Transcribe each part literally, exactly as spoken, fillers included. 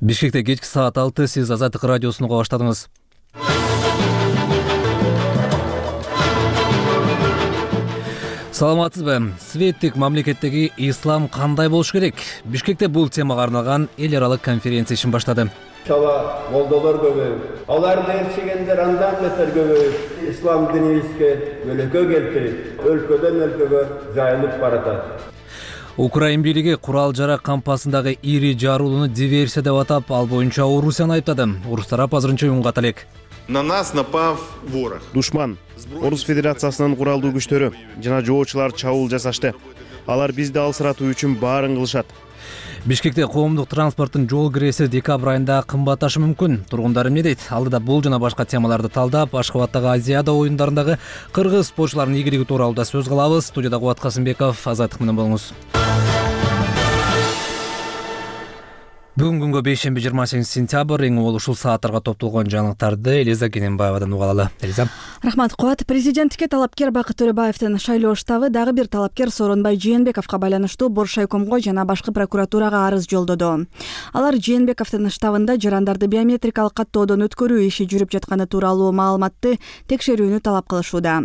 Бишкекте кечки саат алты, сиз Азаттык радиосун уга баштадыңыз. Саламатсызбы? Светтик мамлекеттеги ислам кандай болуш керек? Бишкекте бул темага арналган эл аралык конференция ишин баштады. Чала молдолор көбөйүп, аларды ээрчигендер андан бетер көбөйүп, ислам динибизге өлөкө келтирип, өлкөдөн өлкөгө жайылып баратат. Украин бийлиги курал жарак кампасындагы ири жаруулууну диверсия деп атап, ал боюнча Орусияны айыптады. Орус тарап азырынча уюнга талек. На нас напав ворог. Душман Орус Федерациясынын куралдуу күчтөрү жана жоочулар чабуул жасашты. Алар бизди алсыратуу үчүн баарын кылышат. Бишкекте коомдук транспорттун жол киреси декабрь айында кымбатташы мүмкүн. Тургундар эмне дейт? Алдыда бул жана башка темаларды талдап, Ашкабадтагы Азиада оюндарындагы кыргыз спортчуларынын ийгилиги тууралуу да сөз кылабыз. Студияда Кубат Касымбеков, Азаттык менен болуңуз. Бүгүнкү күнгө бейшемби жыйырма сегизинчи сентябрь эң угул ушул сааттарга топтолгон жаңылыктарды Элиза Кененбаевадан уга алалы. Элиза. Рахмат Кубат. Президенттикке талапкер Бакыт Төрөбаевдин шайлоо штабы дагы бир талапкер Сооронбай Жээнбековго байланыштуу Боршайкомго жана башкы прокуратурага арыз жолдоду. Алар Жээнбековдун штабында жарандарды биометрикалык каттоодон өткөрүү иши жүрүп жатканы тууралуу маалыматты текшерүүнү талап кылышууда.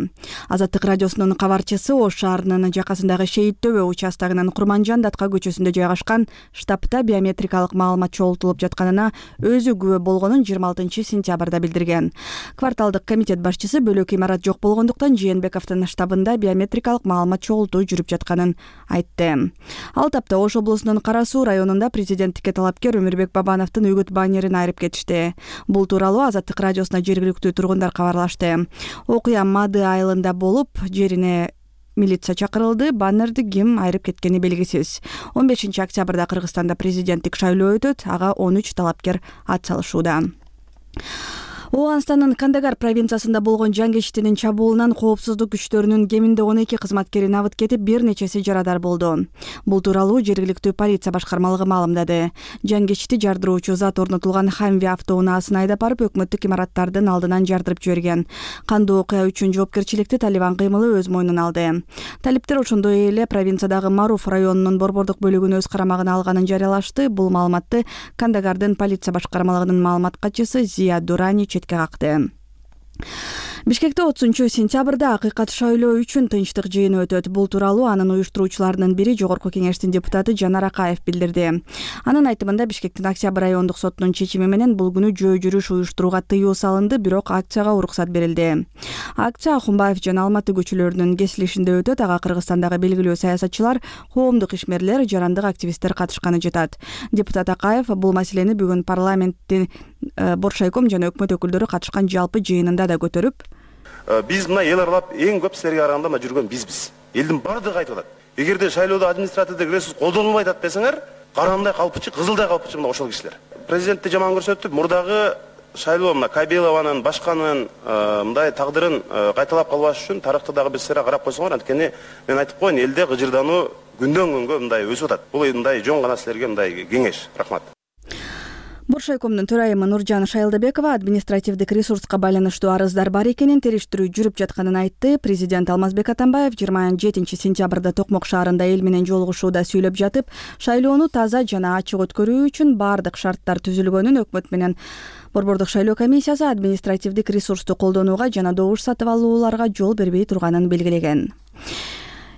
Азаттык радиосунун кабарчысы Ош шаарынын жакасындагы Шейит Төбө участогунун Курманжан Датка көчөсүндө жайгашкан штабта биометрикалык маалымат чогултулуп жатканына өзү күбө болгонун жыйырма алтынчы сентябрда билдирген. Кварталдык комитет башчысы бөлөк имарат жок болгондуктан Жээнбековдун штабында биометрикалык маалымат чогултуу жүрүп жатканын айтты. Ал тапта Ош облусунун Кара Суу районунда президенттикке талапкер Өмүрбек Бабановдун үгүт баннерин айрып кетишти. Бул тууралуу Азаттык радиосуна жергиликтүү тургундар кабарлашты. Окуя Мады айылында болуп, жерине милиция чакырылды. Баннерди ким айрып кеткени белгисиз. он бешинчи октябрда Кыргызстанда президенттик шайлоо өтөт. Ага он үч талапкер ат салышууда. Ооганстандын Кандагар провинциясында болгон жангечтинин чабуулунан коопсуздук күчтөрүнүн кеминде он эки кызматкери набыт кетип, бир нечеси жарадар болду. Бул тууралуу жергиликтүү полиция башкармалыгы маалымдады. Жангечти жардыруучу зат орнотулган Хамви автоунаасын айдап барып, өкмөттүк имараттардын алдынан жардырып жиберген. Кандуу окуя үчүн жоопкерчиликти Талибан кыймылы өз мойнуна алды. Талиптер ошондой эле провинциядагы Маруф районунун борбордук бөлүгүн өз карамагына алганын жарыялашты. Бул маалыматты Кандагардын полиция башкармалыгынын маалымат катчысы Зия Дурани четке какты. Бишкекте отузунчу сентябрда акыйкат шайлоо үчүн тынчтык жыйыны өтөт. Бул тууралуу анын уюштуруучуларынын бири Жогорку кеңештин депутаты Жанар Акаев билдирди. Анын айтымында Бишкектин Октябрь райондук сотунун чечими менен бул күнү жөө жүрүш уюштурууга тыюу салынды, бирок акцияга уруксат берилди. Акция Ахунбаев жана Алматы көчөлөрүнүн кесилишинде өтөт. Ага Кыргызстандагы белгилүү саясатчылар, коомдук ишмерлер, жарандык активисттер катышканы жатат. Депутат Акаев бул маселени бүгүн парламенттин Боршайком жана өкмөт өкүлдөрү катышкан жалпы жыйынында да көтөрүп, биз мына эл аралап эң көп силерге караганда мына жүргөн бизбиз. Элдин бардыгы айтып атат. Эгерде шайлоодо административдик ресурс колдонулбайт атат десеңер, карандай калпычы, кызылдай калпычы мына ошол кишилер. Президентти жаман көрсөтүп, мурдагы шайлоо мына Кабелованын, башканын мындай тагдырын кайталап калбаш үчүн тарыхты дагы бир сыйра карап койсоңор, анткени мен айтып коеюн, элде гыжырдануу күндөн күнгө мындай өсүп атат. Бул мындай жөн гана силерге мындай кеңеш. Рахмат. Боршайкомдун төрайымы Нуржан Шайлдабекова административдик ресурска байланыштуу арыздар бар экенин, териштирүү жүрүп жатканын айтты. Президент Алмазбек Атамбаев жыйырма жетинчи сентябрда Токмок шаарында эл менен жолугушууда сүйлөп жатып, шайлоону таза жана ачык өткөрүү үчүн бардык шарттар түзүлгөнүн, өкмөт менен борбордук шайлоо комиссиясы административдик ресурсту колдонууга жана добуш сатып алууларга жол бербей турганын белгилеген.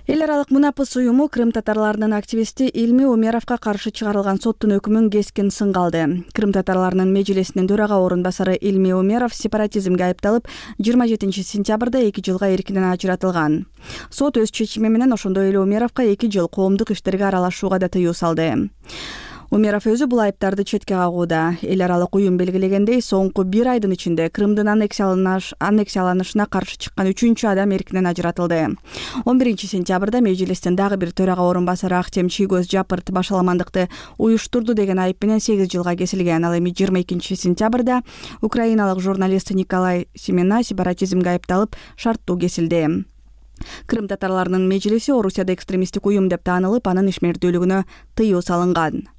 Эл аралык Мунапыс уюму Крым татарларынын активисти Илми Умеровго каршы чыгарылган соттун өкүмүн кескин сынга алды. Крым татарларынын межлисинин төрага орун басары Илми Умеров сепаратизмге айыпталып, жыйырма жетинчи сентябрда эки жылга эркинен ажыратылган. Сот өз чечими менен ошондой эле Умеровго эки жыл коомдук иштерге аралашууга да тыюу салды. Умеров өзү бул айыптарды четке кагууда. Эл аралык уюм белгилегендей, соңку бир айдын ичинде Крымдын аннексияланышына каршы чыккан үчүнчү адам эркинен ажыратылды. он биринчи сентябрда межлистин дагы бир төрага орун басары Актем Чийгөз Жапырт башаламандыкты уюштурду деген айып менен сегиз жылга кесилген. Ал эми жыйырма экинчи сентябрда украиналык журналист Николай Семена сепаратизмге айыпталып, шарттуу кесилди. Крым татарларынын межлиси Орусияда экстремисттик уюм деп таанылып, анын ишмердүүлүгүнө тыюу салынган.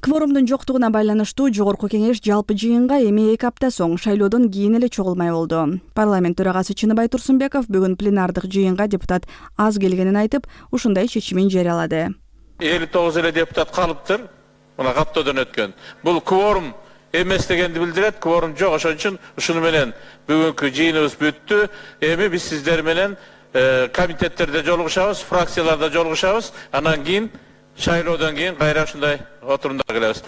Кворумдун жоктугуна байланыштуу Жогорку кеңеш жалпы жыйынга эми эки апта соң шайлоодон кийин эле чогулмай болду. Парламент төрагасы Чыныбай Турсунбеков бүгүн пленардык жыйынга депутат аз келгенин айтып, ушундай чечимин жарыялады. элүү тогуз эле депутат калыптыр. мына каттоодон өткөн. Бул кворум эмес дегенди билдирет. Кворум жок, ошон үчүн ушуну менен бүгүнкү жыйыныбыз бүттү. Эми биз сиздер менен комитеттерде жолугушабыз, фракцияларда жолугушабыз. Анан кийин шайлоодон кийин кайра ушундай отурумдар кылабыз.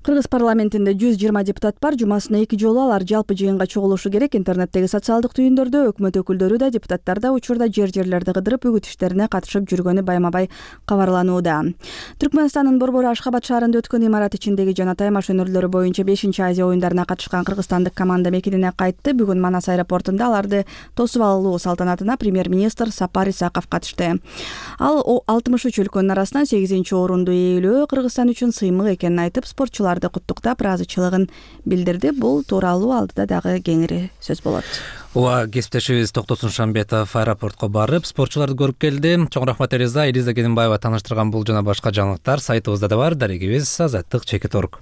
Кыргыз парламентинде жүз жыйырма депутат бар. Жумасына эки жолу алар жалпы жыйынга чогулушу керек. Интернеттеги социалдык түйүндөрдө өкмөт өкүлдөрү да депутаттар да учурда жер-жерлерди кыдырып үгүт иштерине катышып жүргөнү байма-бай кабарланууда. Түркмөнстандын Борбор Ашхабад шаарында өткөн имарат ичиндеги жана Таймаш өнөрлөрү боюнча бешинчи Азия оюндарына катышкан кыргызстандык команда мекенине кайтты. Бүгүн Манас аэропортунда аларды тосуп алуу салтанатына премьер-министр Сапар Исаков катышты. Ал алтымыш үч өлкөнүн арасынан сегизинчи орунду ээлөө Кыргызстан үчүн сыймык экенин айтып, спортчулар куттуктап ыраазычылыгын билдирди. Бул тууралуу алдыда дагы кеңири сөз болот. Ооба, кесиптешибиз Токтосун Шамбетов аэропортко барып, спортчуларды көрүп келди. Чоң рахмат Элиза. Элиза Кененбаева тааныштырган бул жана башка жаңылыктар сайтыбызда да бар. Дарегибиз Азаттык чекит точка орг.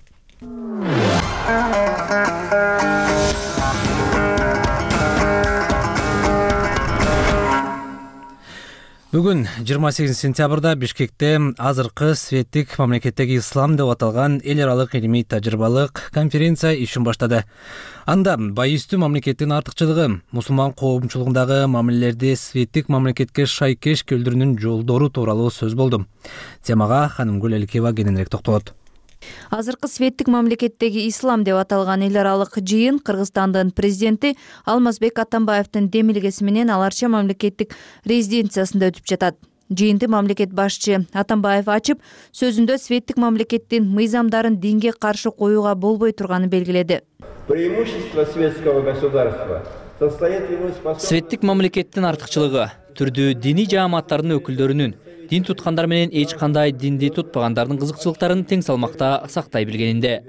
Бүгүн жыйырма сегизинчи сентябрда Бишкекте азыркы светтик мамлекеттеги ислам деп аталган эл аралык илимий тажрыйбалык конференция ишин баштады. Анда байыстуу мамлекеттин артыкчылыгы, мусулман коомчулугундагы мамилелерди светтик мамлекетке шайкеш келтирүүнүн жолдору тууралуу сөз болду. Темага Ханымгүл Элкеева кененирээк токтолот. Азыркы светтик мамлекеттеги ислам деп аталган эл аралык жыйын Кыргызстандын президенти Алмазбек Атамбаевдин демилгеси менен Аларча мамлекеттик резиденциясында өтүп жатат. Жыйынды мамлекет башчы Атамбаев ачып, сөзүндө светтик мамлекеттин мыйзамдарын динге каршы коюуга болбой турганын белгиледи. Преимущество светского государства состоит в его способности. Светтик мамлекеттин артыкчылыгы түрдүү диний жааматтардын өкүлдөрүнүн дин туткандар менен эч кандай динди тутпагандардын кызыкчылыктарын тең салмакта сактай билгенинде.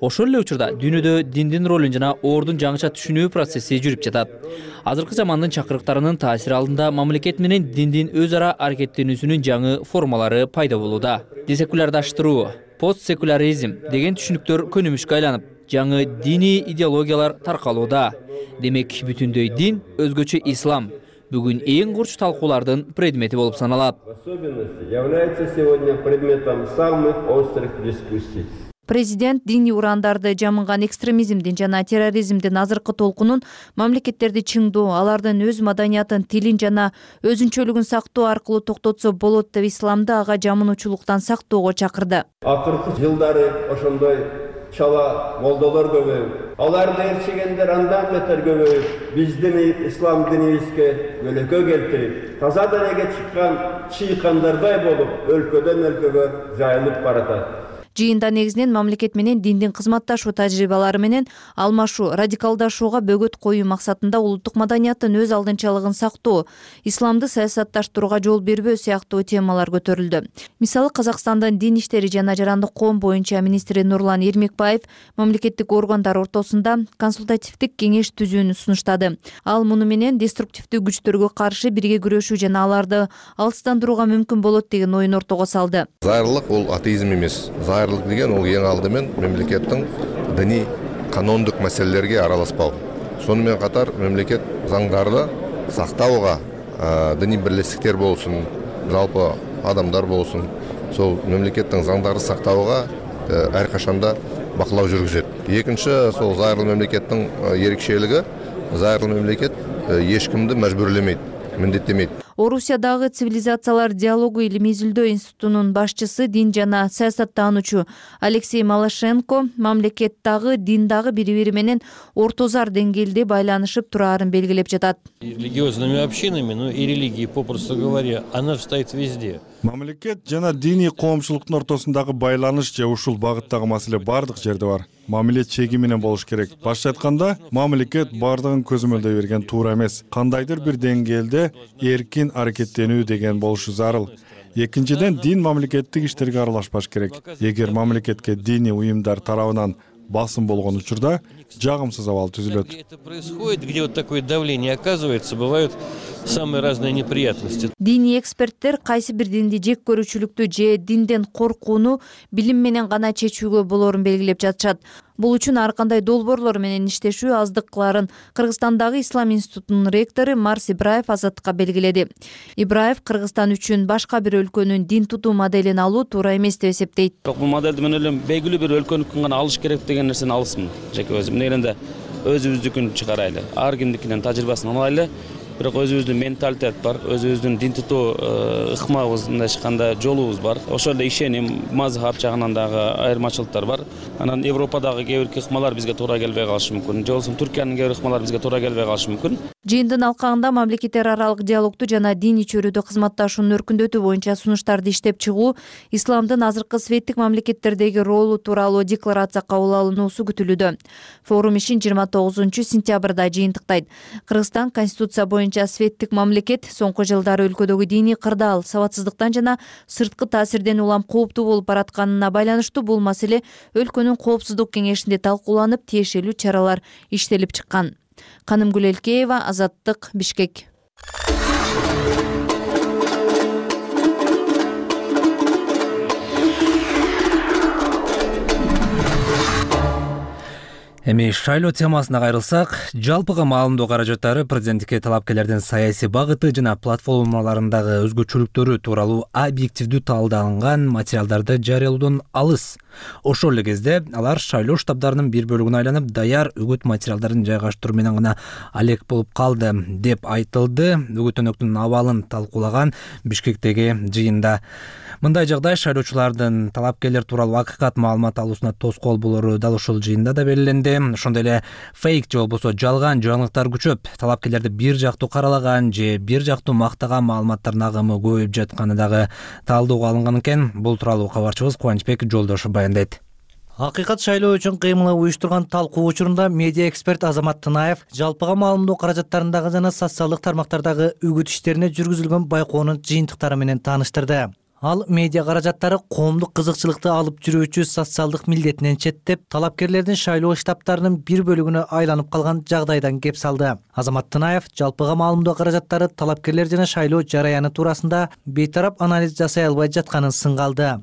Ошол эле учурда дүйнөдө диндин ролун жана ордун жаңыча түшүнүү процесси жүрүп жатат. Азыркы замандын чакырыктарынын таасири алдында мамлекет менен диндин өз ара аракеттенүүсүнүн жаңы формалары пайда болууда. Десекулярдаштыруу, постсекуляризм деген түшүнүктөр көнүмүшкө айланып, жаңы диний идеологиялар таркалууда. Демек, бүтүндөй дин, өзгөчө ислам бүгүн эң курч талкуулардын предмети болуп саналат. В особенности является сегодня предметом самых острых дискуссий. Президент диний урандарды жамынган экстремизмдин жана терроризмдин азыркы толкунун мамлекеттерди чыңдоо, алардын өз маданиятын, тилин жана өзүнчөлүгүн сактоо аркылуу токтотсо болот деп исламды ага жамынуучулуктан сактоого чакырды. Акыркы жылдары ошондой чала молдолор көбөйүп, аларды ээрчигендер андан бетер көбөйүп, биздин ислам динибизге көлөкө келтирип, таза денеге чыккан чыйкандардай болуп, өлкөдөн өлкөгө жайылып баратат. Жыйында негизинен мамлекет менен диндин кызматташуу тажрыйбалары менен алмашуу, радикалдашууга бөгөт коюу максатында улуттук маданияттын өз алдынчалыгын сактоо, исламды саясатташтырууга жол бербөө сыяктуу темалар көтөрүлдү. Мисалы, Казакстандын дин иштери жана жарандык коом боюнча министри Нурлан Эрмекбаев мамлекеттик органдар ортосунда консультативдик кеңеш түзүүнү сунуштады. Ал муну менен деструктивдүү күчтөргө каршы бирге күрөшүү жана аларды алыстандырууга мүмкүн болот деген оюн ортого салды. Зайырлык ол атеизм эмес. Зайырлык деген ол эң алдымен мемлекеттің діни канондық мәселелерге араласпау. Сонымен қатар мемлекет заңдарды сақтауға, діни бірлестіктер болсын, жалпы адамдар болсын, сол мемлекеттің заңдарды сақтауға әрқашанда бақылау жүргізеді. Екінші, сол зайырлы мемлекеттің ерекшелігі, зайырлы мемлекет ешкімді мәжбүрлемейді, міндеттемейді. Орусиядагы цивилизациялар диалогу илимий изилдөө институтунун башчысы, дин жана саясаттануучу Алексей Малашенко мамлекеттагы диндагы бири-бири менен ортозар деңгээлде байланышып турарын белгилеп жатат. Религиозными общинами, ну и религией, попросту говоря, она стоит везде. Мамлекет жана диний коомчулуктун ортосундагы байланыш же ушул багыттагы маселе бардык жерде бар. Мамиле чеги менен болуш керек. Башка айтканда, мамлекет бардыгын көзөмөлдөй берген туура эмес. Кандайдыр бир деңгээлде эркин аракеттенүү деген болушу зарыл. Экинчиден, дин мамлекеттик иштерге аралашпаш керек. Эгер мамлекетке диний уюмдар тарабынан басым болгон учурда жагымсыз абал түзүлөт. Это происходит, где вот такое давление оказывается, бывают самые разные неприятности. Диний эксперттер кайсы бир динди жек көрүүчүлүктү же динден коркууну билим менен гана чечүүгө болорун белгилеп жатышат. Бул үчүн ар кандай долбоорлор менен иштешүү аздыкларын Кыргызстандагы Ислам институтунун ректору Марс Ибраев Азаттыкка белгиледи. Ибраев Кыргызстан үчүн башка бир өлкөнүн дин тутуу моделин алуу туура эмес деп эсептейт. Бул модельди мен ойлойм белгилүү бир өлкөнүкүн гана алыш керек деген нерсени алысмын. Жеке өзүм негелинде өзүбүздүкүн чыгарайлы, ар кимдикинен тажрыйбасын алайлы. Бирок өзүбүздүн менталитет бар, өзүбүздүн дин тутуу ыкмабыз, мындайча айтканда жолубуз бар. Ошол эле ишеним, мазхаб жагынан дагы айырмачылыктар бар. Анан Европадагы кээ бир ыкмалар бизге туура келбей калышы мүмкүн. Же болбосо Түркиянын кээ бир ыкмалары бизге туура келбей калышы мүмкүн. Жыйындын алкагында мамлекеттер аралык диалогду жана диний чөйрөдө кызматташууну өркүндөтүү боюнча сунуштарды иштеп чыгуу, исламдын азыркы светтик мамлекеттердеги ролу тууралуу декларация кабыл алынуусу күтүлүүдө. Форум ишин жыйырма тогузунчу сентябрда жыйынтыктайт. Кыргызстан конституция боюнча светтик мамлекет, соңку жылдары өлкөдөгү диний кырдаал, сабатсыздыктан жана сырткы таасирден улам кооптуу болуп баратканына байланыштуу бул маселе өлкөнүн коопсуздук кеңешинде талкууланып, тиешелүү чаралар иштелип чыккан. Канымгүл Элкеева, Азаттык, Бишкек. Эми шайлоо темасына кайрылсак, жалпыга маалымдоо каражаттары президенттикке талапкерлердин саясий багыты жана платформаларындагы өзгөчөлүктөрү тууралуу объективдүү талдаалган материалдарды жарыялоодон алыс. Ошол эле кезде алар шайлоо штабдарынын бир бөлүгүнө айланып, даяр үгүт материалдарын жайгаштыруу менен гана алек болуп калды деп айтылды үгүт-өнөктүн абалын талкуулаган Бишкектеги жыйында. Мындай жагдай шайлоочулардын талапкерлер тууралуу акыйкат маалымат алуусуна тоскоол болору дал ушул жыйында да белгиленди. Ошондой эле фейк же болбосо жалган жаңылыктар күчөп, талапкерлерди бир жактуу каралаган же бир жактуу мактаган маалыматтардын агымы көбөйүп жатканы дагы талдоого алынган экен. Бул тууралуу кабарчыбыз Кубанычбек Жолдошов баяндайт. Акыйкат шайлоо үчүн кыймылы уюштурган талкуу учурунда медиа эксперт Азамат Тынаев жалпыга маалымдоо каражаттарындагы жана социалдык тармактардагы үгүт иштерине жүргүзүлгөн байкоонун жыйынтыктары менен тааныштырды. Ал медиа каражаттары коомдук кызыкчылыкты алып жүрүүчү социалдык милдетинен четтеп, талапкерлердин шайлоо штабтарынын бир бөлүгүнө айланып калган жагдайдан кеп салды. Азамат Тынаев жалпыга маалымдоо каражаттары талапкерлер жана шайлоо жараяны туурасында бейтарап анализ жасай албай жатканын сынгалды.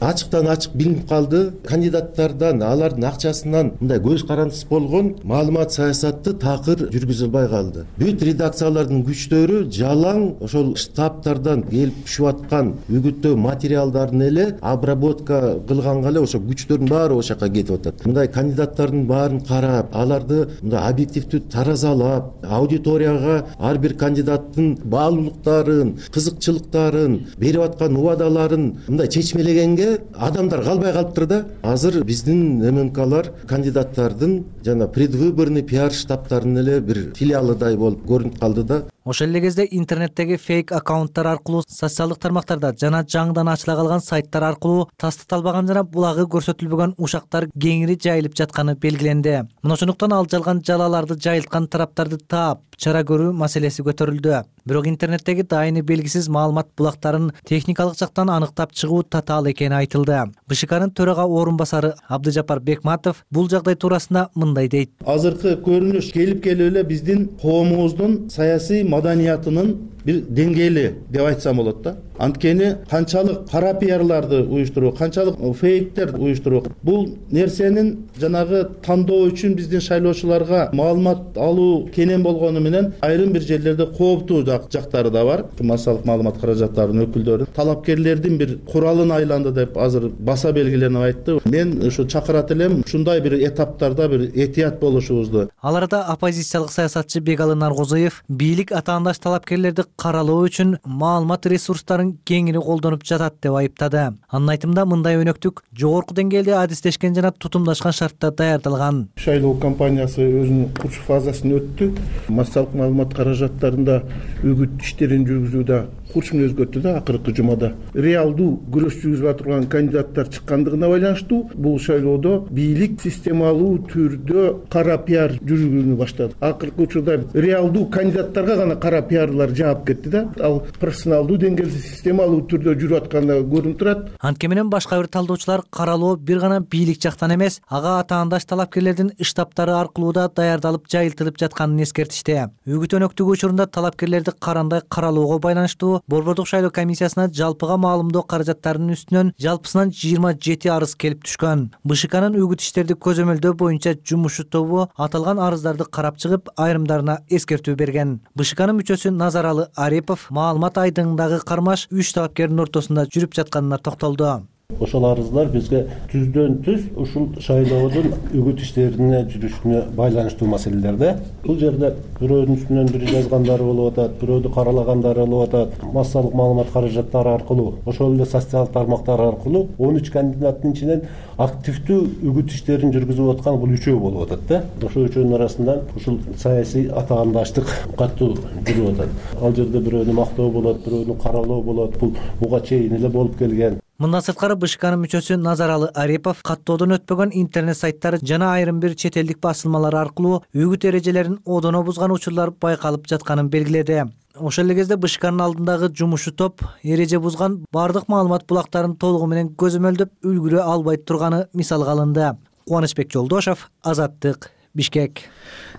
Ачыктан ачык билинип калды. Кандидаттардан, алардын акчасынан мындай көз карандысыз болгон маалымат саясатты такыр жүргүзүлбөй калды. Бүт редакциялардын күчтөрү жалаң ошол штабтардан келип түшүп аткан үгүттөө материалдарын эле обработка кылганга эле ошо күчтөрдүн баары ошол жака кетип атат. Мындай кандидаттардын баарын карап, аларды мындай объективдүү таразалап, аудиторияга ар бир кандидаттын баалуулуктарын, кызыкчылыктарын, берип аткан убадаларын мындай чечмелегенге адамдар калбай калыптыр да. Азыр биздин ММКлар кандидаттардын жана предвыборный пиар штабтарынын эле бир филиалыдай болуп көрүнүп калды да. Ошол эле кезде интернеттеги фейк аккаунттар аркылуу, социалдык тармактарда жана жаңыдан ачыла калган сайттар аркылуу тастыкталбаган жана булагы көрсөтүлбөгөн ушактар кеңири жайылып жатканы белгиленди. Мына ошондуктан ал жалган жалаларды жайылткан тараптарды таап, чара көрүү маселеси көтөрүлдү. Бирок интернеттеги дайыны белгисиз маалымат булактарын техникалык жактан аныктап чыгуу татаал экени айтылды. БШКнын төрага орун басары Абдыжапар Бекматов бул жагдай туурасында мындай дейт. Азыркы көрүнүш келип келип эле биздин коомубуздун саясий маданиятынын бир деңгээли деп айтсам болот да. Анткени канчалык кара пиарларды уюштуруу, канчалык фейктер уюштуруу, бул нерсенин жанагы тандоо үчүн биздин шайлоочуларга маалымат алуу кенен болгону менен айрым бир жерлерде кооптуу жактары да бар. Массалык маалымат каражаттарынын өкүлдөрү талапкерлердин бир куралын айланды деп азыр баса белгиленип айтты. Мен ушу чакырат элем ушундай бир этаптарда бир этият болушубузду. Ал арада оппозициялык саясатчы Бегалы Наргозоев бийлик атаандаш талапкерлерди каралоо үчүн маалымат ресурстарын кеңири колдонуп жатат деп айыптады. Анын айтымында мындай өнөктүк жогорку деңгээлде адистешкен жана тутумдашкан шартта даярдалган. Шайлоо кампаниясы өзүнүн курч фазасын өттү. Массалык маалымат каражаттарында үгүт иштерин жүргүзүүдө курч мүнөз өткөрдү да акыркы жумада. Реалдуу күрөш жүргүзүп турган кандидаттар чыккандыгына байланыштуу бул шайлоодо бийлик системалуу түрдө кара пиар жүргүзүүнү баштады. Акыркы учурда реалдуу кандидаттарга гана кара пиарлар жаап кетти да. Ал профессионалдуу деңгээлде системалуу түрдө жүрүп атканы көрүнүп турат. Анткени менен башка бир талдоочулар каралоо бир гана бийлик жактан эмес, ага атаандаш талапкерлердин штабтары аркылуу да даярдалып жайылтылып жатканын эскертишти. Үгүт өнөктүгү учурунда талапкерлерди карандай каралоого байланыштуу Борбордук шайлоо комиссиясына жалпыга маалымдоо каражаттарынын үстүнөн жалпысынан жыйырма жети арыз келип түшкөн. БШКнын үгүт иштерди көзөмөлдөө боюнча жумуш тобу аталган арыздарды карап чыгып, айрымдарына эскертүү берген. БШКнын мүчөсү Назаралы Арипов маалымат айдыңындагы кармаш үч талапкердин ортосунда жүрүп жатканына токтолду. Ошол арыздар бизге түздөн түз ушул шайлоодун үгүт иштерине жүрүшүнө байланыштуу маселелерде. Бул жерде бирөөнүн үстүнөн бири жазгандары болуп атат, бирөөдү каралагандары болуп атат. Массалык маалымат каражаттары аркылуу, ошол эле социалдык тармактар аркылуу он үч кандидаттын ичинен активдүү үгүт иштерин жүргүзүп аткан бул үчөө болуп атат да. Ошол үчөөнүн арасынан ушул саясий атагандаштык катуу жүрүп атат. Ал жерде бирөөнү мактоо болот, бирөөнү каралоо болот. Бул буга чейин эле болуп келген. Мындан сырткары БШКнын мүчөсү Назаралы Арипов каттоодон өтпөгөн интернет сайттары жана айрым бир чет элдик басылмалар аркылуу үгүт эрежелерин одоно бузган учурлар байкалып жатканын белгиледи. Ошол эле кезде БШКнын алдындагы жумушу топ эреже бузган бардык маалымат булактарын толугу менен көзөмөлдөп үлгүрө албай турганы мисалга алынды. Кубанычбек Жолдошов, Азаттык, Бишкек.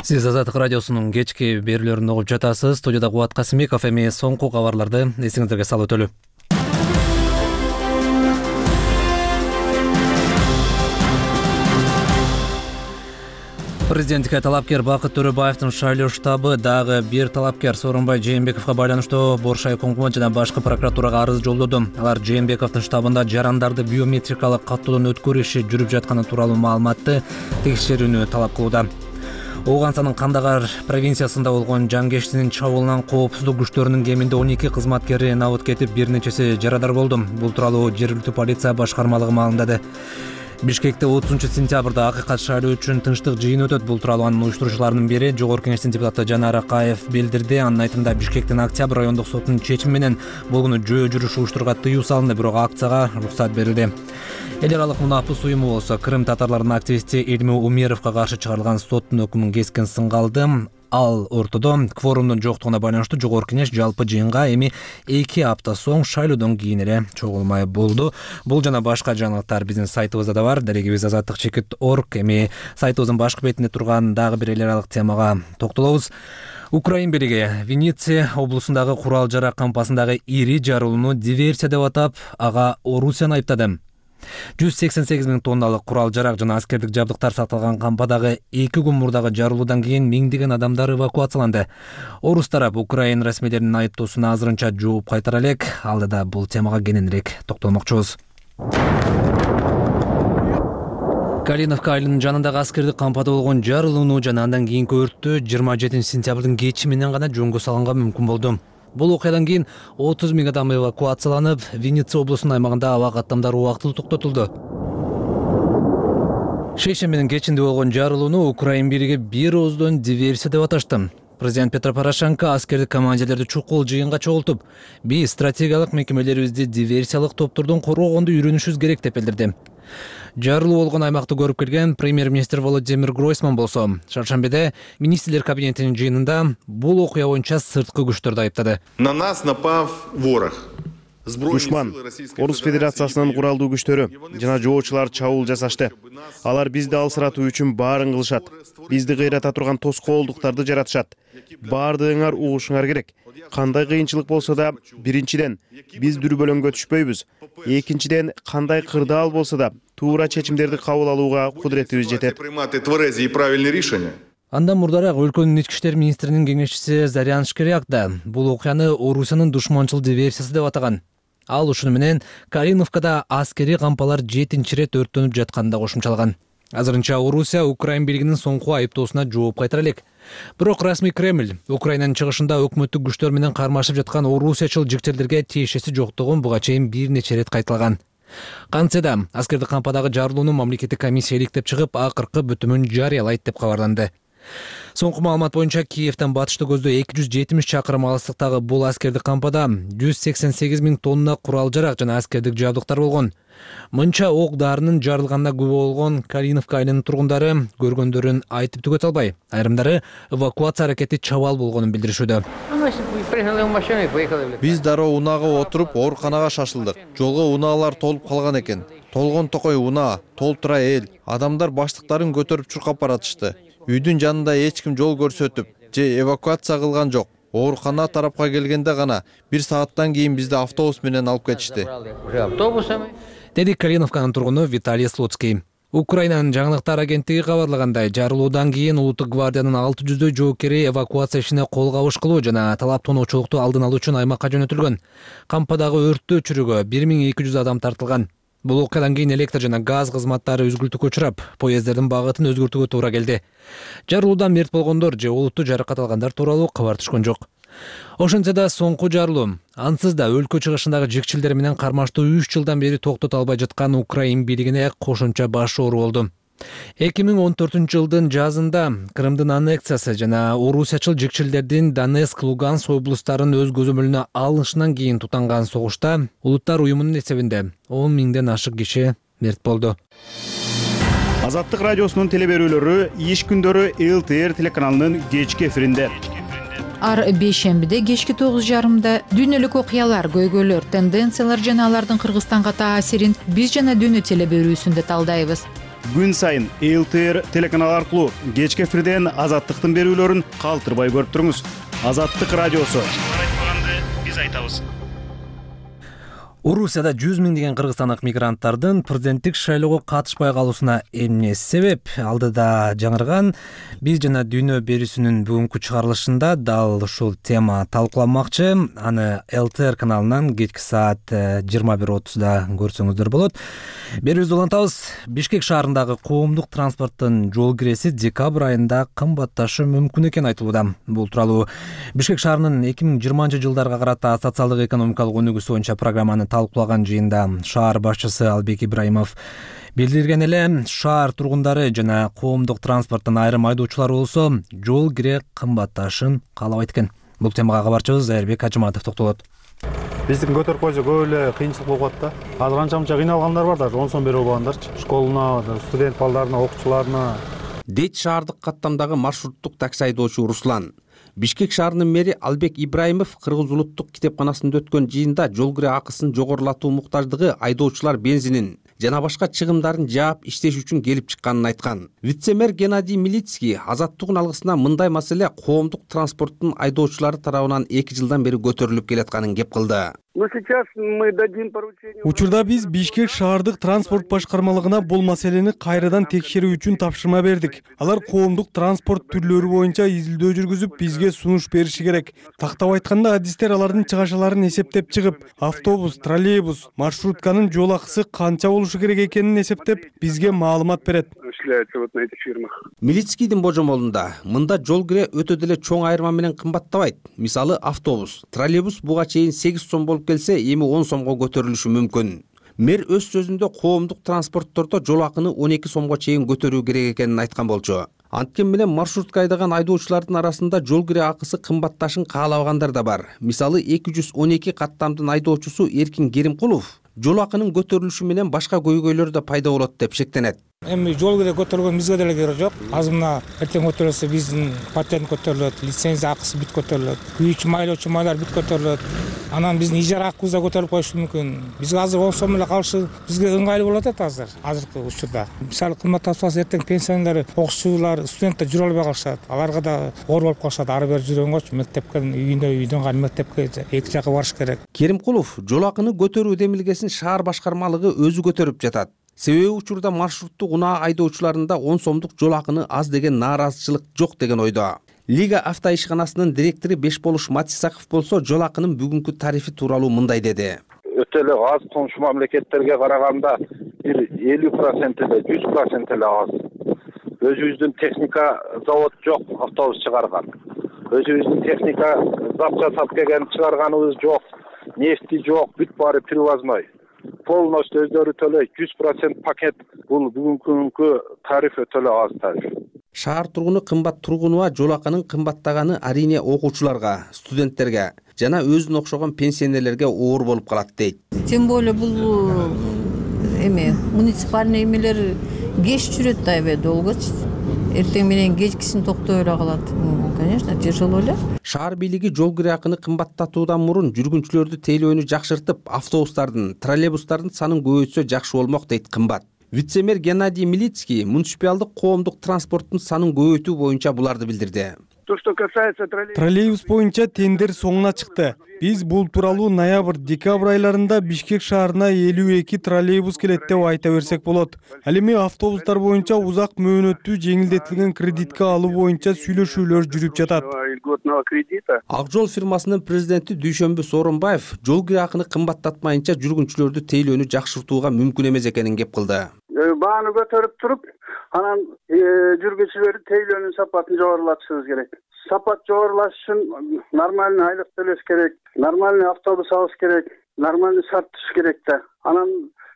Сиз Азаттык радиосунун кечки берүүлөрүн угуп жатасыз. Студияда Кубат Касымбеков. Эми соңку кабарларды эсиңиздерге салып өтөлү. Президенттикке талапкер Бакыт Төрөбаевдин шайлоо штабы дагы бир талапкер Сооронбай Жээнбековго байланыштуу Бош айкомго жана башкы прокуратурага арыз жолдоду. Алар Жээнбековдун штабында жарандарды биометрикалык каттоодон өткөрүү иши жүрүп жатканы тууралуу маалыматты текшерүүнү талап кылууда. Ооганцанын Кандагар провинциясында болгон жангештинин чабуулунан коопсуздук күчтөрүнүн кеминде он эки кызматкери набыт кетип, бир нечеси жарадар болду. Бул тууралуу жергиликтүү полиция башкармалыгы маалымдады. Бишкекте отузунчу сентябрда акыйкат шайлоо үчүн тынчтык жыйын өтөт. Бул тууралуу анын уюштуруучуларынын бири Жогорку Кеңештин депутаты Жанар Акаев билдирди. Анын айтымында Бишкектин Октябрь райондук сотунун чечими менен болгону жөө жүрүш уюштурууга тыюу салынды, бирок акцияга уруксат берилди. Эл аралык мунапыс уюму болсо Крым татарларынын активисти Эльму Умеровго каршы чыгарылган соттун өкүмүн кескин сынгалды. Ал ортодо кворумдун жоктугуна байланыштуу Жогорку Кеңеш жалпы жыйынга эми эки апта соң шайлоодон кийин эле чогулмай болду. Бул жана башка жаңылыктар биздин сайтыбызда да бар. Дарегибиз азаттык чекит точка орг. Эми сайтыбыздын башкы бетинде турган дагы бир эл аралык темага токтолобуз. Украин бийлиги Винница облусундагы курал жарак кампасындагы ири жарылууну диверсия деп атап, ага Орусияны айыптады. жүз сексен сегиз миң тонналык курал жарак жана аскердик жабдыктар сакталган кампадагы эки күн мурдагы жарылуудан кийин миңдеген адамдар эвакуацияланды. Орус тарап Украин расмийлеринин айыптоосуна азырынча жооп кайтара элек. Алдыда бул темага кененирээк токтолмокчубуз. Калиновка айылынын жанындагы аскердик кампада болгон жарылууну жана андан кийинки өрттү жыйырма жетинчи сентябрдын кечи менен гана жөнгө салганга мүмкүн болду. Бул окуядан кийин отуз миң адам эвакуацияланып, Винница облусунун аймагында аба каттамдар убактылуу токтотулду. Шейшембинин кечинде болгон жарылууну Украин бийлиги бир ооздон диверсия деп аташты. Президент Петро Порошенко аскердик командирлерди чукул жыйынга чогултуп, биз стратегиялык мекемелерибизди диверсиялык топтордон коргогонду үйрөнүшүбүз керек деп билдирди. Жарылуу болгон аймакты көрүп келген премьер-министр Володимир Гройсман болсо, шаршембиде министрлер кабинетинин жыйынында бул окуя боюнча сырткы күчтөрдү айыптады. На нас напав ворог. Душман, Орус Федерациясынын куралдуу күчтөрү жана жоочулар чабуул жасашты. Алар бизди алсыратуу үчүн баарын кылышат. Бизди кыйрата турган тоскоолдуктарды жаратышат. Баардыгыңар угушуңар керек. Кандай кыйынчылык болсо да, биринчиден биз дүрбөлөңгө түшпөйбүз. Экинчиден, кандай кырдаал болсо да, туура чечимдерди кабыл алууга кудуретибиз жетет. Андан мурдараак өлкөнүн ички иштер министринин кеңешчиси Зарян Шкиряк да бул окуяны Орусиянын душманчыл диверсиясы деп атаган. Ал ушуну менен Калиновкада аскери кампалар жетинчи ирет өрттөнүп жатканын да кошумчалаган. Азырынча Орусия Украин бийлигинин соңку айыптоосуна жооп кайтара элек. Бирок расмий Кремль Украинанын чыгышында өкмөттүк күчтөр менен кармашып жаткан орусиячыл жикчелерге тиешеси жоктугун буга чейин бир нече ирет кайталаган. Кантсе да аскердик кампадагы жарылууну мамлекеттик комиссия иликтеп чыгып, акыркы бүтүмүн жарыялайт деп кабарланды. Соңку маалымат боюнча Киевден батышты көздөө эки жүз жетимиш чакырым алыстыктагы бул аскердик кампада жүз сексен сегиз миң тонна курал жарак жана аскердик жабдыктар болгон. Мынча ок дарынын жарылганына күбө болгон Калиновка айылынын тургундары көргөндөрүн айтып түгөтө албай, айрымдары эвакуация аракети чабал болгонун билдиришүүдө. Биз дароо унаага отуруп ооруканага шашылдык. Жолго унаалар толуп калган экен. Толгон токой унаа, толтура эл. Адамдар баштыктарын көтөрүп чуркап баратышты. Үйдүн жанында эч ким жол көрсөтүп же эвакуация кылган жок. оорукана тарапка келгенде гана бир сааттан кийин бизди автобус менен алып кетишти. Деди Калиновканын тургуну Виталий Слуцкий. Украинанын жаңылыктар агенттиги кабарлагандай, жарылуудан кийин Улуттук гвардиянын алты жүздөй жоокери эвакуация ишине кол кабыш кылуу жана талап тоноочулукту алдын алуу үчүн аймакка жөнөтүлгөн. Кампадагы өрттү өчүрүүгө бир миң эки жүз адам тартылган. Бул окуядан кийин электр жана газ кызматтары үзгүлтүккө учурап, поездердин багытын өзгөртүүгө туура келди. Жарылуудан мерт болгондор же олуттуу жаракат алгандар тууралуу кабар түшкөн жок. Ошентсе да соңку жарылуу ансыз да өлкө чыгышындагы жикчилдер менен кармаштуу үч жылдан бери токтото албай жаткан Украин бийлигине кошумча баш оору болду. эки миң он төртүнчү жылдын жазында Крымдын аннексиясы жана орусиячыл жикчилдердин Донецк, Луганск облустарын өз көзөмөлүнө алышынан кийин тутанган согушта Улуттар уюмунун эсебинде он миңден ашык киши мерт болду. Азаттык радиосунун телеберүүлөрү иш күндөрү эл тэ эр телеканалынын кечки эфиринде. Ар бейшембиде кечки тогуз жарымда дүйнөлүк окуялар, көйгөйлөр, тенденциялар жана алардын Кыргызстанга таасирин биз жана дүйнө телеберүүсүндө талдайбыз. Күн сайын эл тэ эр телеканалы аркылуу кечки эфирден Азаттыктын берүүлөрүн калтырбай көрүп туруңуз. Азаттык радиосу. Айтпаганды биз айтабыз. Орусияда жүз миңдеген кыргызстандык мигранттардын президенттик шайлоого катышпай калуусуна эмне себеп? Алдыда жаңырган биз жана дүйнө берүүсүнүн бүгүнкү чыгарылышында дал ушул тема талкууланмакчы. Аны эл тэ эр каналынан кечки саат жыйырма бир отузда көрсөңүздөр болот. Берүүбүздү улантабыз. Бишкек шаарындагы коомдук транспорттун жол киреси декабрь айында кымбатташы мүмкүн экени айтылууда. Бул тууралуу Бишкек шаарынын эки миң жыйырманчы жылдарга карата социалдык экономикалык өнүгүүсү боюнча программаны талкуулаган жыйында шаар башчысы Албек Ибраимов билдирген эле, шаар тургундары жана коомдук транспорттун айрым айдоочулары болсо жол кире кымбатташын каалабайт экен. Бул темага кабарчыбыз Айырбек Ажыматов токтолот. Биздин көтөрүп койсо көп эле кыйынчылык болуп калат да. Азыр канча мынча кыйналгандар бар, даже он сом берип алгандарчы. Школуна, студент балдарына, окуучуларына. Дейт шаардык каттамдагы маршруттук такси айдоочу Руслан. Бишкек шаарынын мэри Албек Ибраимов Кыргыз улуттук китепканасында өткөн жыйында жол кире акысын жогорулатуу муктаждыгы айдоочулар бензинин жана башка чыгымдарын жаап иштеш үчүн келип чыкканын айткан. Вице-мэр Геннадий Милицкий Азаттыктын алгысына мындай маселе коомдук транспорттун айдоочулары тарабынан эки жылдан бери көтөрүлүп келатканын кеп кылды. Учурда биз Бишкек шаардык транспорт башкармалыгына бул маселени кайрадан текшерүү үчүн тапшырма бердик. Алар коомдук транспорт түрлөрү боюнча изилдөө жүргүзүп, бизге сунуш бериши керек. Тактап айтканда, адистер алардын чыгашаларын эсептеп чыгып, автобус, троллейбус, маршрутканын жол акысы канча болушу керек экенин эсептеп, бизге маалымат берет. Милицкийдин божомолунда мында жол кире өтө деле чоң айырма менен кымбаттабайт. Мисалы, автобус, троллейбус буга чейин сегиз сом болуп келсе, эми он сомго көтөрүлүшү мүмкүн. Мэр өз сөзүндө коомдук транспорттордо жол акыны он эки сомго чейин көтөрүү керек экенин айткан болчу. Анткени менен маршрутка айдаган айдоочулардын арасында жол кире акысы кымбатташын каалабагандар да бар. Мисалы, эки жүз он эки каттамдын айдоочусу Эркин Керимкулов жол акынын көтөрүлүшү менен башка көйгөйлөр да пайда болот деп шектенет. Эми жол кире көтөрүлгөн бизге деле кереги жок. Азыр мына эртең көтөрүлсө биздин патент көтөрүлөт, лицензия акысы бүт көтөрүлөт, күйүүчү майлоочу майлар бүт көтөрүлөт. Анан биздин ижара акыбыз да көтөрүлүп коюшу мүмкүн. Бизге азыр он сом эле калышы бизге ыңгайлуу болот эт азыр, азыркы учурда. Мисалы, кымбатташпаса эртең пенсионер, окуучулар, студенттер жүрө албай калышат. Аларга да оор болуп калышат. Ары бери жүргөнгөчү мектепке, үйүндө, үйдөн кайын мектепке эки жакка барыш керек. Керимкулов жол акыны көтөрүү демилгесин шаар башкармалыгы өзү көтөрүп жатат. Себеби учурда маршруттук унаа айдоочуларында он сомдук жол акыны аз деген нааразычылык жок деген ойдо. Лига авто ишканасынын директору Бешболуш Матисаков болсо жол акынын бүгүнкү тарифи тууралуу мындай деди. Өтө эле аз коңшу мамлекеттерге караганда бир элүү процент эле, жүз процент эле аз. Өзүбүздүн техника завод жок, автобус чыгарган. Өзүбүздүн техника зат жасап келген чыгарганыбыз жок. Нефти жок, бүт баары привозной. Полностью өздөрү төлөйт, жүз процент пакет. Бул бүгүнкү тариф өтө эле аз тариф. Шаар тургуну кымбат тургунуа жол акынын кымбаттаганы арине окуучуларга, студенттерге жана өзүнө окшогон пенсионерлерге оор болуп калат дейт. Тем более бул эме муниципальный эмелер кеч жүрөт да эбе долгочу. Эртең менен кечкисин токтой эле калат. Конечно, тяжело эле. Шаар бийлиги жол кире акыны кымбаттатуудан мурун жүргүнчүлөрдү тейлөөнү жакшыртып, автобустардын, троллейбустардын санын көбөйтсө жакшы болмок дейт кымбат. Вице-мэр Геннадий Милицкий муниципалдык коомдук транспорттун санын көбөйтүү боюнча буларды билдирди. То, что касается троллейбуса. Троллейбус боюнча тендер соңуна чыкты. Биз бул тууралуу ноябрь декабрь айларында Бишкек шаарына элүү эки троллейбус келет деп айта берсек болот. Ал эми автобустар боюнча узак мөөнөттүү жеңилдетилген кредитке алуу боюнча сүйлөшүүлөр жүрүп жатат. Ак жол фирмасынын президенти Дүйшөмбү Сооронбаев жол кире акыны кымбаттатмайынча жүргүнчүлөрдү тейлөөнү жакшыртууга мүмкүн эмес экенин кеп кылды. Бааны көтөрүп туруп, анан жүргүнчүлөрдүн тейлөөнүн сапатын жогорулатышыбыз керек. Сапат жогорулаш үчүн нормальный айлык төлөш керек, нормальный автобус алыш керек, нормальный шарт түзүш керек да. Анан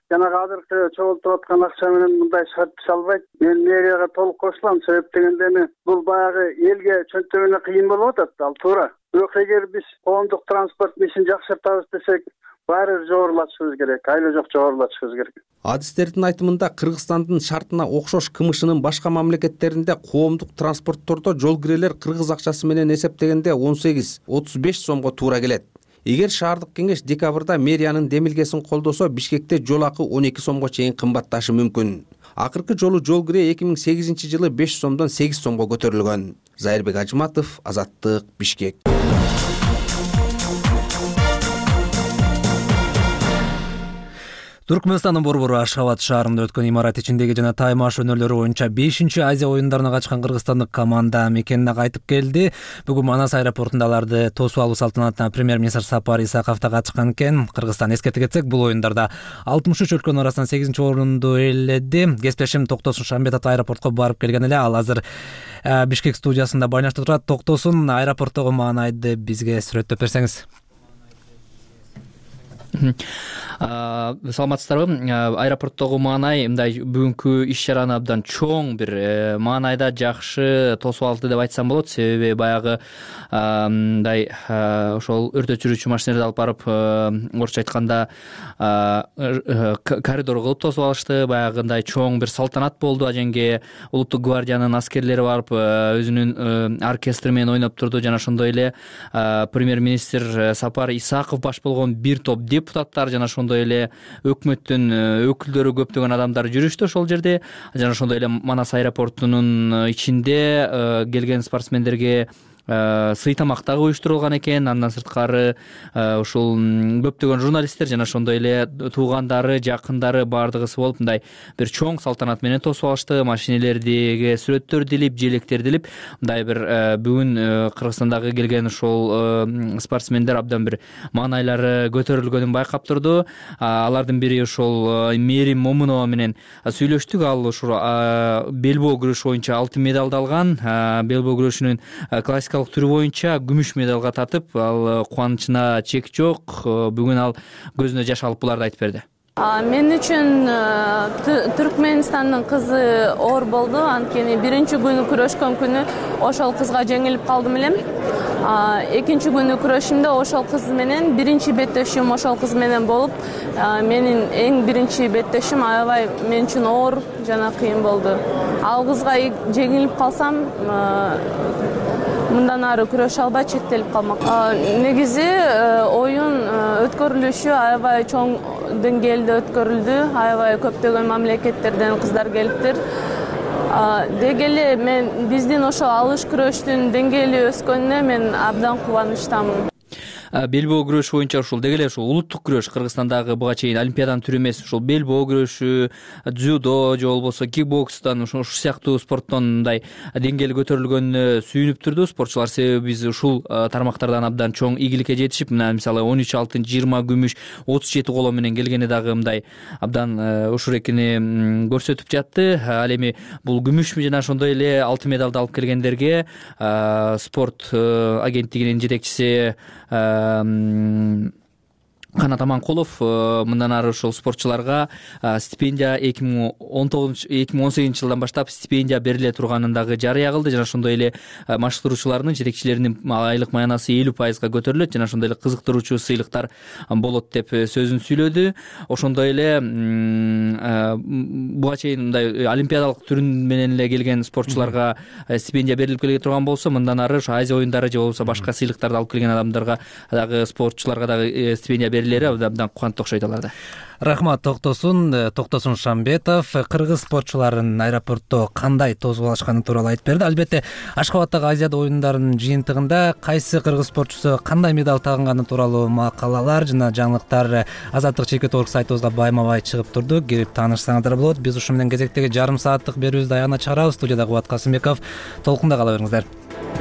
жанагы азыркы чогултуп аткан акча менен мындай шарт түзүш албайт. Мен мэрияга толук кошулам, себеп дегенде эми бул баягы элге чөнтөгүнө кыйын болуп атат, ал туура. Бирок эгер биз коомдук транспорттун ишин жакшыртабыз десек, баары жогорулатышыбыз керек, айла жок жогорулатышыбыз керек. Адистердин айтымында Кыргызстандын шартына окшош КМШнын башка мамлекеттеринде коомдук транспорттордо жол кирелер кыргыз акчасы менен эсептегенде он сегиз отуз беш сомго туура келет. Эгер шаардык кеңеш декабрда мэриянын демилгесин колдосо, Бишкекте жол акы он эки сомго чейин кымбатташы мүмкүн. Акыркы жолу жол кире эки миң сегизинчи жылы беш сомдон сегиз сомго көтөрүлгөн. Зайырбек Ажыматов, Азаттык, Бишкек. Түркмөнстандын борбору Ашхабад шаарында өткөн имарат ичиндеги жана таймаш өнөрлөрү боюнча бешинчи Азия оюндарына качкан кыргызстандык команда мекенине кайтып келди. Бүгүн Манас аэропортунда аларды тосуп алуу салтанатына премьер-министр Сапар Исаков да катышкан экен. Кыргызстан эскерте кетсек, бул оюндарда алтымыш үч өлкөнүн арасынан сегизинчи орунду ээледи. Кесиптешим Токтосун Шамбетов аэропортко барып келген эле. Ал азыр Бишкек студиясында байланышта турат. Токтосун, аэропорттогу маанайды бизге сүрөттөп берсеңиз. Саламатсыздарбы? Аэропорттогу маанай мындай бүгүнкү иш чараны абдан чоң бир маанайда жакшы тосуп алды деп айтсам болот. Себеби баягы мындай ошол өрт өчүрүүчү машиналерди алып барып, орусча айтканда коридор кылып тосуп алышты. Баягындай чоң бир салтанат болду. Ажеңге улуттук гвардиянын аскерлери барып, өзүнүн оркестри менен ойноп турду. Жана ошондой эле премьер-министр Сапар Исаков баш болгон бир топ депутаттар жана ошондой эле өкмөттүн өкүлдөрү, көптөгөн адамдар жүрүштү ошол жерде. Жана ошондой эле Манас аэропортунун ичинде келген спортсмендерге сый тамак дагы уюштурулган экен. Андан сырткары ушул көптөгөн журналисттер жана ошондой эле туугандары, жакындары баардыгысы болуп мындай бир чоң салтанат менен тосуп алышты. Машинелердиги сүрөттөр дилип, желектер дилип, мындай бир бүгүн Кыргызстандагы келген ушул спортсмендер абдан бир маанайлары көтөрүлгөнүн байкап турду. Алардын бири ушул Мерим Момунова менен сүйлөштүк. Ал ушул белбоо күрөшү боюнча алтын медалды алган. Белбоо күрөшүнүн классикалык түрү боюнча күмүш медалга татып, ал кубанычына чек жок. Бүгүн ал көзүнө жаш алып буларды айтып берди. Мен үчүн Түркмөнстандын кызы оор болду. Анткени биринчи күнү күрөшкөн күнү ошол кызга жеңилип калдым элем. Экинчи күнү күрөшүмдө ошол кыз менен биринчи беттешим ошол кыз менен болуп, менин эң биринчи беттешим аябай мен үчүн оор жана кыйын болду. Ал кызга жеңилип калсам, мындан ары күрөшө албай чектелип калмак. Негизи оюн өткөрүлүшү аябай чоң деңгээлде өткөрүлдү. Аябай көптөгөн мамлекеттерден кыздар келиптир. Деги эле мен биздин ошо алыш күрөштүн деңгээли өскөнүнө мен абдан кубанычтамын. Белбоо күрөшү боюнча ушул деги эле ушул улуттук күрөш Кыргызстандагы буга чейин олимпиаданын түрү эмес, ушул белбоо күрөшү, дзюдо же болбосо кикбокстан ушул сыяктуу спорттон мындай деңгээли көтөрүлгөнүнө сүйүнүп турду спортчулар. Себеби биз ушул тармактардан абдан чоң ийгиликке жетишип, мына мисалы он үч алтын, жыйырма күмүш, отуз жети коло менен келгени дагы мындай абдан ушул экени көрсөтүп жатты. Ал эми бул күмүш жана ошондой эле алтын медалды алып келгендерге спорт агенттигинин жетекчиси Канат Аманкулов мындан ары ушул спортчуларга стипендия эки миң он тогузунчу эки миң он сегизинчи жылдан баштап стипендия бериле турганын дагы жарыя кылды. Жана ошондой эле машыктыруучулардын, жетекчилеринин айлык маянасы элүү пайызга көтөрүлөт. Жана ошондой эле кызыктыруучу сыйлыктар болот деп сөзүн сүйлөдү. Ошондой эле буга чейин мындай олимпиадалык түрүн менен эле келген спортчуларга стипендия берилип келе турган болсо, мындан ары ошо Азия оюндары же болбосо башка сыйлыктарды алып келген адамдарга дагы, спортчуларга дагы стипендия берилет эрлери абдан кубанып окшойт аларда. Рахмат. Токтосун Токтосун Шамбетов кыргыз спортчуларын аэропортто кандай тосуп алышканы тууралуу айтып берди. Албетте Ашкабадтагы Азиада оюндарынын жыйынтыгында кайсы кыргыз спортчусу кандай медаль тагынганы тууралуу макалалар жана жаңылыктар Азаттык чекит орг сайтыбызга байма-бай чыгып турду. Кирип таанышсаңыздар болот. Биз ушу менен кезектеги жарым сааттык берүүбүздү аягына чыгарабыз. Студияда Кубат Касымбеков. Толкунда кала бериңиздер.